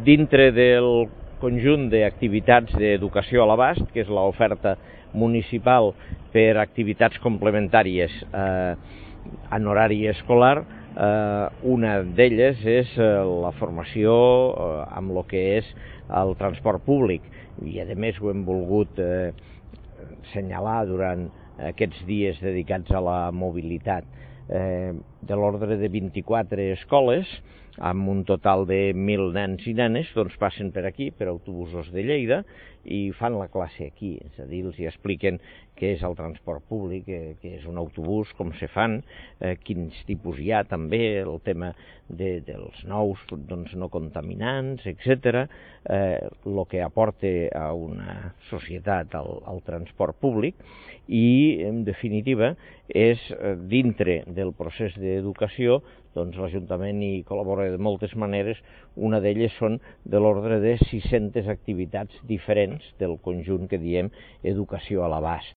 dintre del conjunt d'activitats d'educació a l'abast, que és l'oferta municipal per activitats complementàries en horari escolar, una d'elles és la formació amb el que és el transport públic, i a més ho hem volgut assenyalar durant aquests dies dedicats a la mobilitat. De l'ordre de 24 escoles, amb un total de 1.000 nens i nenes, doncs passen per aquí, per autobusos de Lleida, i fan la classe aquí, és a dir, els expliquen què és el transport públic, què és un autobús, com se fan, quins tipus hi ha també, el tema dels nous no contaminants, etc., el que aporta a una societat el transport públic, i, en definitiva, és dintre del procés d'educació, doncs l'Ajuntament hi col·labora de moltes maneres. Una d'elles són de l'ordre de 600 activitats diferents del conjunt que diem educació a l'abast.